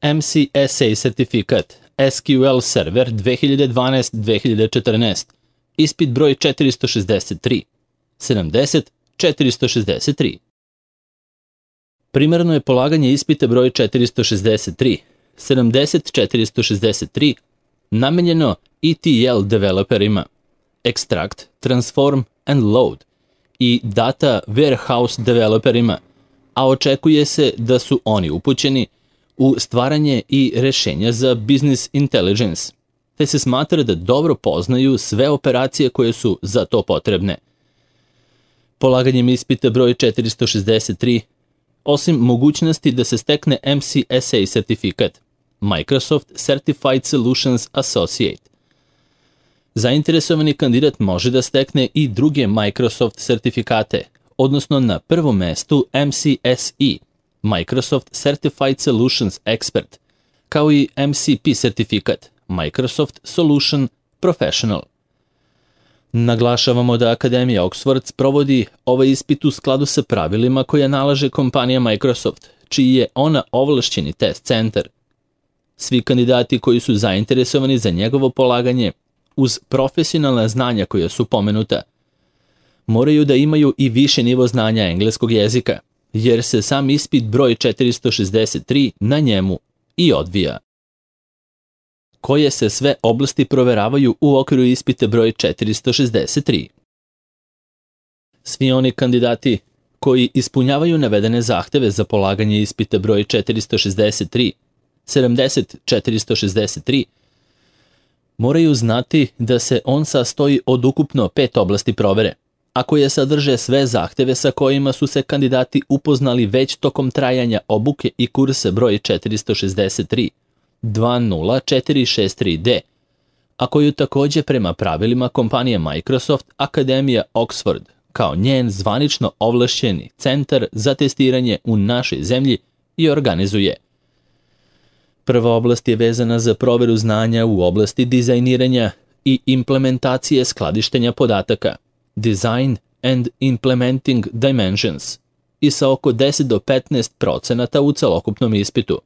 MCSA sertifikat SQL Server 2012-2014, ispit broj 463, 70-463. Primarno je polaganje ispita broj 463, 70-463, namenjeno ETL developerima, Extract, Transform and Load i Data Warehouse developerima, a očekuje se da su oni upućeni u stvaranje i rešenja za business intelligence, te se smatra da dobro poznaju sve operacije koje su za to potrebne. Polaganjem ispita broj 463, osim mogućnosti da se stekne MCSA sertifikat, Microsoft Certified Solutions Associate, zainteresovani kandidat može da stekne i druge Microsoft sertifikate, odnosno na prvom mestu MCSE, Microsoft Certified Solutions Expert, kao i MCP sertifikat, Microsoft Solution Professional. Naglašavamo da Akademija Oxford provodi ovaj ispit u skladu sa pravilima koje nalaže kompanija Microsoft, čiji je ona ovlašćeni test centar. Svi kandidati koji su zainteresovani za njegovo polaganje, uz profesionalna znanja koja su pomenuta, moraju da imaju i više nivo znanja engleskog jezika, jer se sam ispit broj 463 na njemu i odvija. Koje se sve oblasti proveravaju u okviru ispita broj 463? Svi oni kandidati koji ispunjavaju navedene zahteve za polaganje ispita broj 463, 70-463, moraju znati da se on sastoji od ukupno 5 oblasti provere, a koje sadrže sve zahteve sa kojima su se kandidati upoznali već tokom trajanja obuke i kursa broj 463, 20463D, a koju takođe prema pravilima kompanije Microsoft Akademija Oxford, kao njen zvanično ovlašćeni centar za testiranje u našoj zemlji, i organizuje. Prva oblast je vezana za proveru znanja u oblasti dizajniranja i implementacije skladištenja podataka, Design and Implementing Dimensions, i sa oko 10 do 15% u celokupnom ispitu.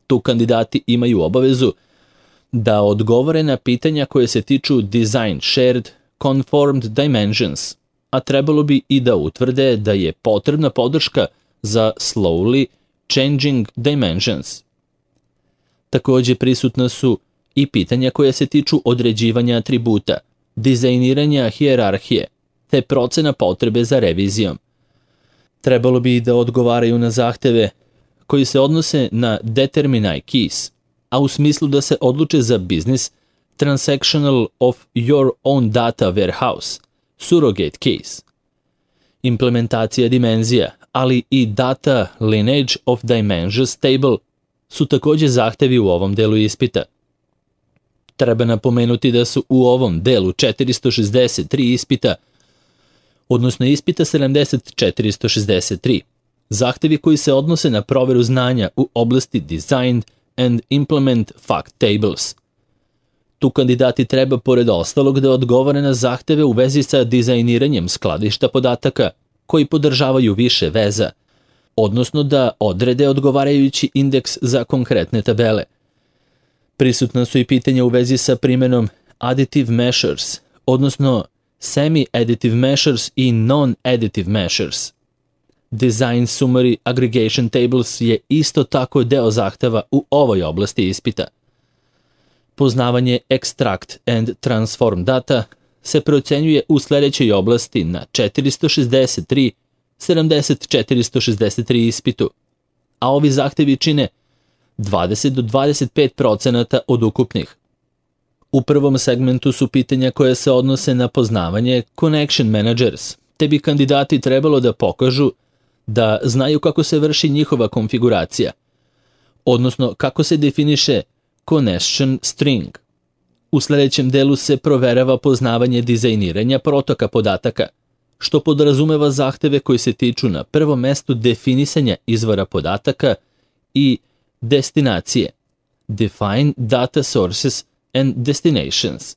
Tu kandidati imaju obavezu da odgovore na pitanja koje se tiču Design Shared Conformed Dimensions, a trebalo bi i da utvrde da je potrebna podrška za Slowly Changing Dimensions. Takođe prisutna su i pitanja koje se tiču određivanja atributa, dizajniranja hijerarhije, te procena potrebe za revizijom. Trebalo bi da odgovaraju na zahteve koji se odnose na Determine Keys, a u smislu da se odluče za Business Transactional of Your Own Data Warehouse, Surrogate Case, implementacija dimenzija, ali i Data Lineage of Dimensions Table su takođe zahtevi u ovom delu ispita. Treba napomenuti da su u ovom delu 463 ispita, odnosno ispita 70-463, zahtevi koji se odnose na proveru znanja u oblasti Design and Implement Fact Tables. Tu kandidati treba pored ostalog da odgovore na zahteve u vezi sa dizajniranjem skladišta podataka koji podržavaju više veza, odnosno da odrede odgovarajući indeks za konkretne tabele. Prisutna su i pitanja u vezi sa primenom Additive Measures, odnosno Semi-Additive Measures i Non-Additive Measures. Design Summary Aggregation Tables je isto tako deo zahteva u ovoj oblasti ispita. Poznavanje Extract and Transform Data se procenjuje u sledećoj oblasti na 463, 70-463 ispitu, a ovi zahtevi čine 20 do 25% od ukupnih. U prvom segmentu su pitanja koje se odnose na poznavanje Connection Managers, te bi kandidati trebalo da pokažu da znaju kako se vrši njihova konfiguracija, odnosno kako se definiše Connection String. U sledećem delu se proverava poznavanje dizajniranja protoka podataka, što podrazumeva zahteve koji se tiču na prvom mestu definisanja izvora podataka i destinacije, Define Data Sources and Destinations.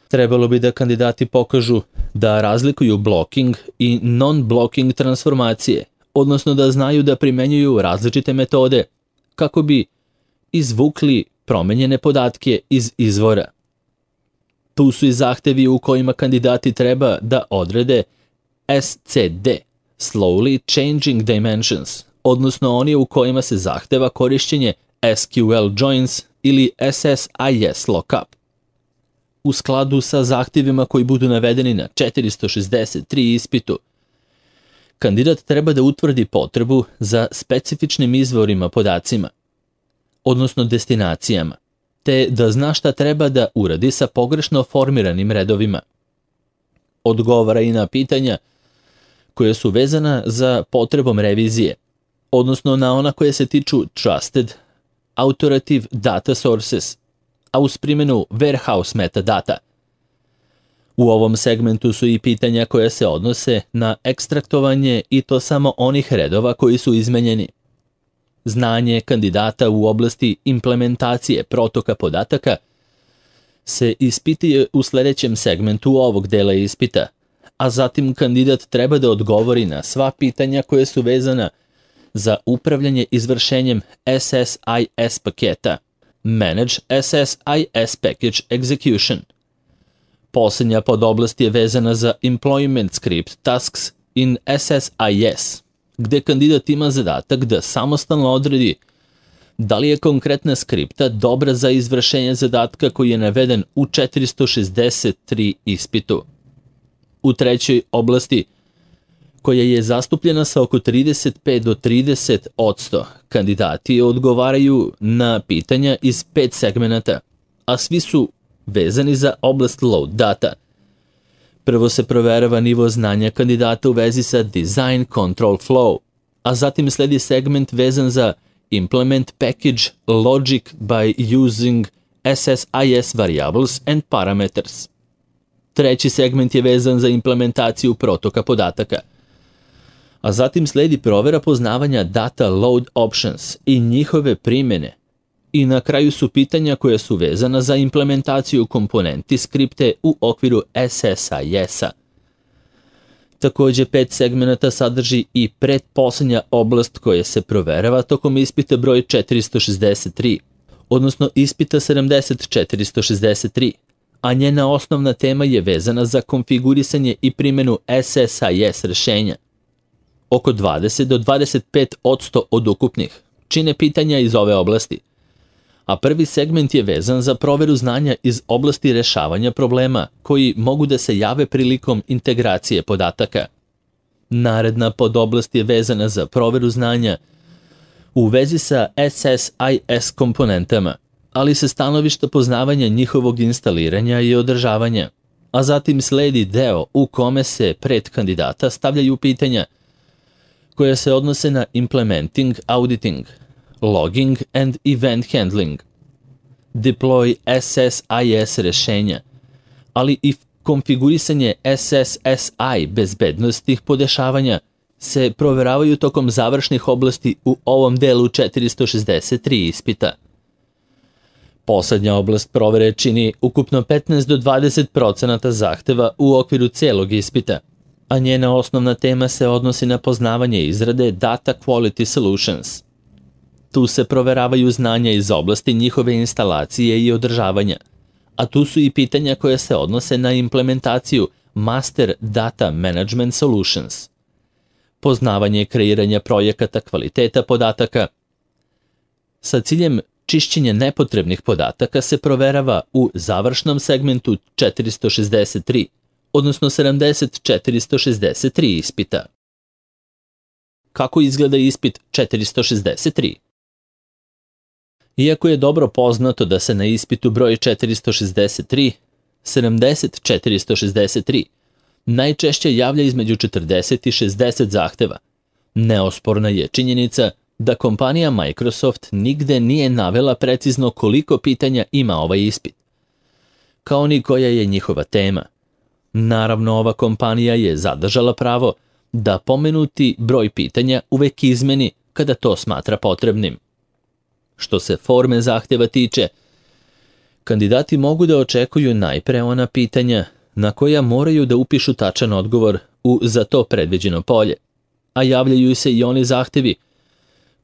Trebalo bi da kandidati pokažu da razlikuju blocking i non-blocking transformacije, odnosno da znaju da primenjuju različite metode kako bi izvukli promenjene podatke iz izvora. Tu su i zahtevi u kojima kandidati treba da odrede SCD, Slowly Changing Dimensions, odnosno oni u kojima se zahteva korišćenje SQL Joins ili SSIS Lookup. U skladu sa zahtjevima koji budu navedeni na 463 ispitu, kandidat treba da utvrdi potrebu za specifičnim izvorima podacima, odnosno destinacijama, te da zna šta treba da uradi sa pogrešno formiranim redovima. Odgovara i na pitanja koje su vezana za potrebom revizije, odnosno na ona koje se tiču Trusted Authoritative Data Sources, a uz primjenu Warehouse metadata. U ovom segmentu su i pitanja koja se odnose na ekstraktovanje i to samo onih redova koji su izmenjeni. Znanje kandidata u oblasti implementacije protoka podataka se ispituje u sljedećem segmentu ovog dela ispita, a zatim kandidat treba da odgovori na sva pitanja koje su vezana za upravljanje izvršenjem SSIS paketa, Manage SSIS Package Execution. Posljednja podoblast je vezana za Employment Script Tasks in SSIS, gde kandidat ima zadatak da samostalno odredi da li je konkretna skripta dobra za izvršenje zadatka koji je naveden u 463 ispitu. U trećoj oblasti, koja je zastupljena sa oko 35 do 30%, kandidati odgovaraju na pitanja iz 5 segmenata, a svi su vezani za oblast load data. Prvo se proverava nivo znanja kandidata u vezi sa Design Control Flow, a zatim sledi segment vezan za Implement Package Logic by using SSIS Variables and Parameters. Treći segment je vezan za implementaciju protoka podataka, a zatim sledi provera poznavanja Data Load Options i njihove primjene. I na kraju su pitanja koja su vezana za implementaciju komponenti skripte u okviru SSIS-a. Također 5 segmenata sadrži i pretposljednja oblast koja se proverava tokom ispita broj 463, odnosno ispita 70463, a njena osnovna tema je vezana za konfigurisanje i primjenu SSIS rješenja. Oko 20 do 25% od ukupnih čine pitanja iz ove oblasti, a prvi segment je vezan za proveru znanja iz oblasti rešavanja problema koji mogu da se jave prilikom integracije podataka. Naredna podoblast je vezana za proveru znanja u vezi sa SSIS komponentama, ali se stanovišta poznavanja njihovog instaliranja i održavanja, a zatim sledi deo u kome se pred kandidata stavljaju pitanja koja se odnose na implementing, auditing, logging and event handling, deploy SSIS rješenja, ali i konfigurisanje SSSI bezbednostnih podešavanja se proveravaju tokom završnih oblasti u ovom delu 463 ispita. Poslednja oblast provere čini ukupno 15 do 20% zahteva u okviru celog ispita, a njena osnovna tema se odnosi na poznavanje izrade Data Quality Solutions. Tu se proveravaju znanja iz oblasti njihove instalacije i održavanja, a tu su i pitanja koja se odnose na implementaciju Master Data Management Solutions, poznavanje kreiranja projekata kvaliteta podataka. Sa ciljem čišćenja nepotrebnih podataka se proverava u završnom segmentu 463, odnosno 463 ispita. Kako izgleda ispit 463? Iako je dobro poznato da se na ispitu broj 463, 463, najčešće javlja između 40 i 60 zahteva, neosporna je činjenica da kompanija Microsoft nigde nije navela precizno koliko pitanja ima ovaj ispit, kao ni koja je njihova tema. Naravno, ova kompanija je zadržala pravo da pomenuti broj pitanja uvek izmeni kada to smatra potrebnim. Što se forme zahtjeva tiče, kandidati mogu da očekuju najpre ona pitanja na koja moraju da upišu tačan odgovor u za to predviđeno polje, a javljaju se i oni zahtjevi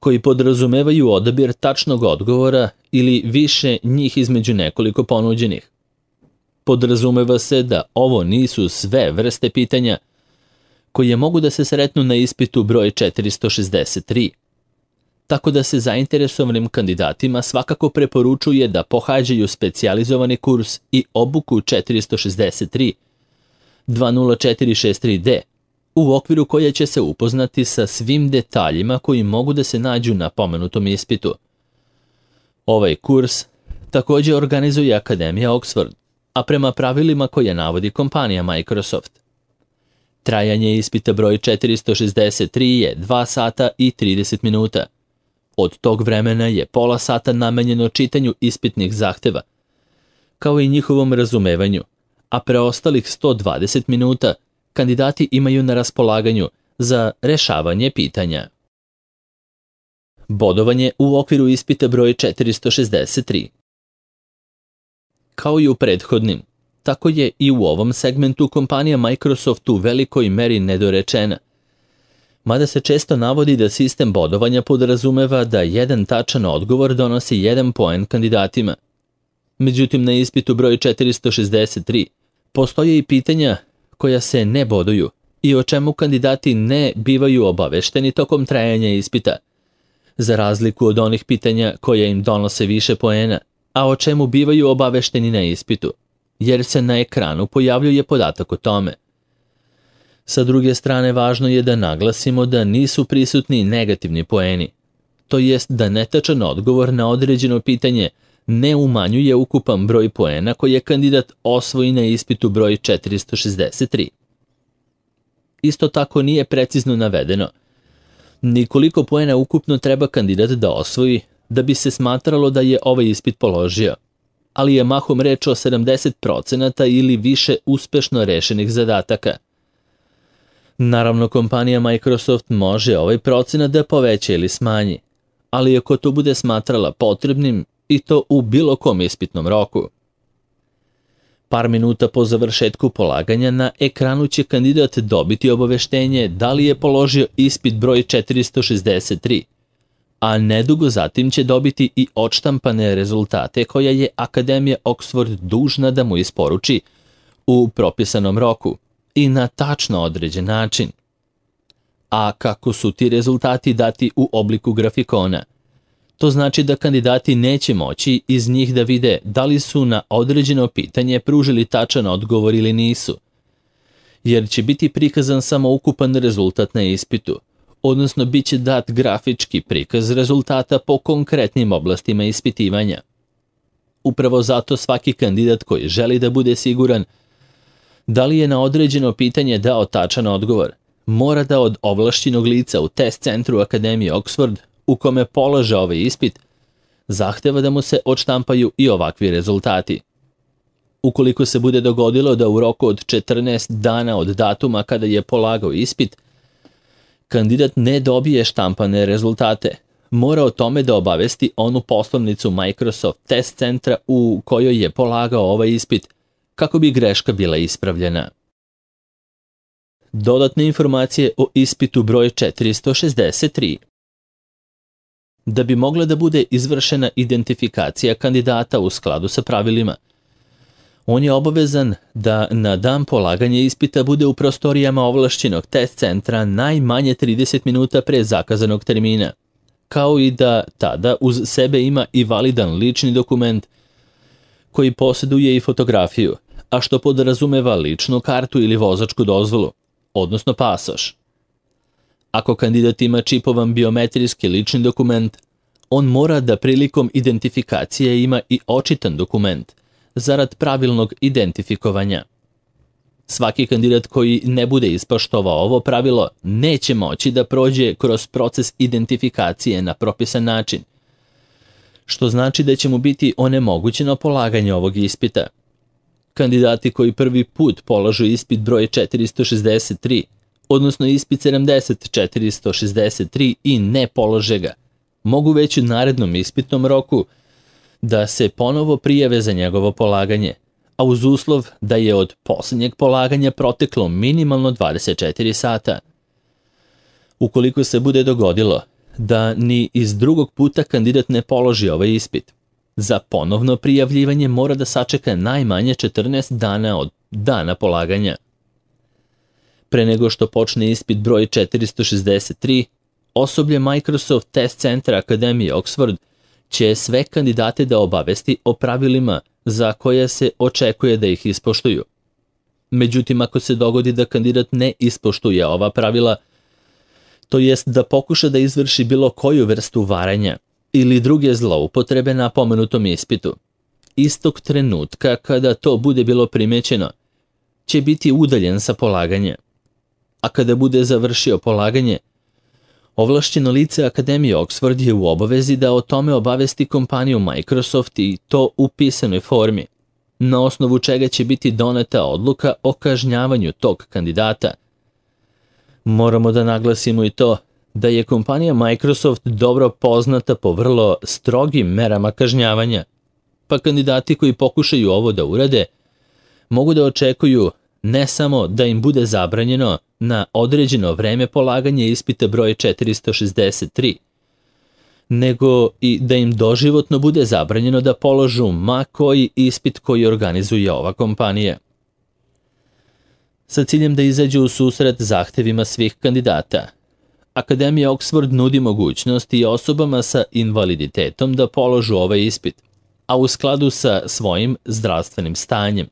koji podrazumevaju odabir tačnog odgovora ili više njih između nekoliko ponuđenih. Podrazumeva se da ovo nisu sve vrste pitanja koje mogu da se sretnu na ispitu broj 463. Tako da se zainteresovanim kandidatima svakako preporučuje da pohađaju specijalizovani kurs i obuku 463 20463D, u okviru koje će se upoznati sa svim detaljima koji mogu da se nađu na pomenutom ispitu. Ovaj kurs također organizuje Akademija Oxford, a prema pravilima koje navodi kompanija Microsoft. Trajanje ispita broj 463 je 2 sata i 30 minuta. Od tog vremena je pola sata namenjeno čitanju ispitnih zahteva, kao i njihovom razumevanju, a preostalih 120 minuta kandidati imaju na raspolaganju za rešavanje pitanja. Bodovanje u okviru ispita broj 463. Kao i u prethodnim, tako je i u ovom segmentu kompanija Microsoft u velikoj meri nedorečena, mada se često navodi da sistem bodovanja podrazumeva da jedan tačan odgovor donosi 1 poen kandidatima. Međutim, na ispitu broj 463 postoje i pitanja koja se ne boduju i o čemu kandidati ne bivaju obavešteni tokom trajanja ispita, za razliku od onih pitanja koja im donose više poena, a o čemu bivaju obavešteni na ispitu, jer se na ekranu pojavljuje podatak o tome. Sa druge strane, važno je da naglasimo da nisu prisutni negativni poeni, to jest da netačan odgovor na određeno pitanje ne umanjuje ukupan broj poena koje kandidat osvoji na ispitu broj 463. Isto tako nije precizno navedeno ni koliko poena ukupno treba kandidat da osvoji da bi se smatralo da je ovaj ispit položio, ali je mahom reč o 70% ili više uspešno rešenih zadataka. Naravno, kompanija Microsoft može ovaj procenat da poveća ili smanji, ali ako to bude smatrala potrebnim, i to u bilo kom ispitnom roku. Par minuta po završetku polaganja na ekranu će kandidat dobiti obaveštenje da li je položio ispit broj 463, a nedugo zatim će dobiti i odštampane rezultate koje je Akademija Oxford dužna da mu isporuči u propisanom roku i na tačno određen način. A kako su ti rezultati dati u obliku grafikona, to znači da kandidati neće moći iz njih da vide da li su na određeno pitanje pružili tačan odgovor ili nisu, jer će biti prikazan samo ukupan rezultat na ispitu, odnosno bit će dat grafički prikaz rezultata po konkretnim oblastima ispitivanja. Upravo zato svaki kandidat koji želi da bude siguran da li je na određeno pitanje dao tačan odgovor, mora da od ovlašćenog lica u test centru Akademije Oxford, u kome polaže ovaj ispit, zahteva da mu se odštampaju i ovakvi rezultati. Ukoliko se bude dogodilo da u roku od 14 dana od datuma kada je polagao ispit, kandidat ne dobije štampane rezultate, mora o tome da obavesti onu poslovnicu Microsoft test centra u kojoj je polagao ovaj ispit, kako bi greška bila ispravljena. Dodatne informacije o ispitu broj 463. Da bi mogla da bude izvršena identifikacija kandidata u skladu sa pravilima, on je obavezan da na dan polaganja ispita bude u prostorijama ovlašćenog test centra najmanje 30 minuta pre zakazanog termina, kao i da tada uz sebe ima i validan lični dokument koji posjeduje i fotografiju, a što podrazumeva ličnu kartu ili vozačku dozvolu, odnosno pasoš. Ako kandidat ima čipovan biometrijski lični dokument, on mora da prilikom identifikacije ima i očitan dokument, zarad pravilnog identifikovanja. Svaki kandidat koji ne bude ispoštovao ovo pravilo neće moći da prođe kroz proces identifikacije na propisan način, što znači da će mu biti onemogućeno polaganje ovog ispita. Kandidati koji prvi put polažu ispit broj 463, odnosno ispit 70463 i ne polože ga, mogu već u narednom ispitnom roku da se ponovo prijave za njegovo polaganje, a uz uslov da je od posljednjeg polaganja proteklo minimalno 24 sata. Ukoliko se bude dogodilo da ni iz drugog puta kandidat ne položi ovaj ispit. Za ponovno prijavljivanje mora da sačeka najmanje 14 dana od dana polaganja. Pre nego što počne ispit broj 463, osoblje Microsoft Test Centra Akademije Oxford će sve kandidate da obavesti o pravilima za koje se očekuje da ih ispoštuju. Međutim, ako se dogodi da kandidat ne ispoštuje ova pravila, to jest da pokuša da izvrši bilo koju vrstu varanja ili druge zloupotrebe na pomenutom ispitu, istog trenutka kada to bude bilo primećeno, će biti udaljen sa polaganja. A kada bude završio polaganje, ovlašćeno lice Akademije Oxford je u obavezi da o tome obavesti kompaniju Microsoft i to u pisanoj formi, na osnovu čega će biti doneta odluka o kažnjavanju tog kandidata. Moramo da naglasimo i to da je kompanija Microsoft dobro poznata po vrlo strogim merama kažnjavanja, pa kandidati koji pokušaju ovo da urade mogu da očekuju ne samo da im bude zabranjeno na određeno vreme polaganje ispita broj 463, nego i da im doživotno bude zabranjeno da položu ma koji ispit koji organizuje ova kompanija. Sa ciljem da izađu u susret zahtevima svih kandidata, Akademija Oxford nudi mogućnost i osobama sa invaliditetom da položu ovaj ispit, a u skladu sa svojim zdravstvenim stanjem.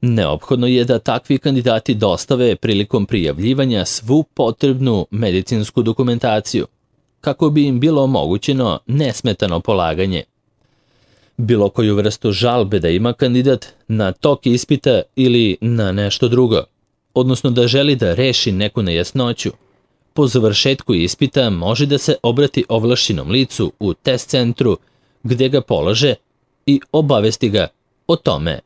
Neophodno je da takvi kandidati dostave prilikom prijavljivanja svu potrebnu medicinsku dokumentaciju, kako bi im bilo omogućeno nesmetano polaganje. Bilo koju vrstu žalbe da ima kandidat na tok ispita ili na nešto drugo, odnosno da želi da reši neku nejasnoću, po završetku ispita može da se obrati ovlašćenom licu u test centru gde ga polaže i obavesti ga o tome.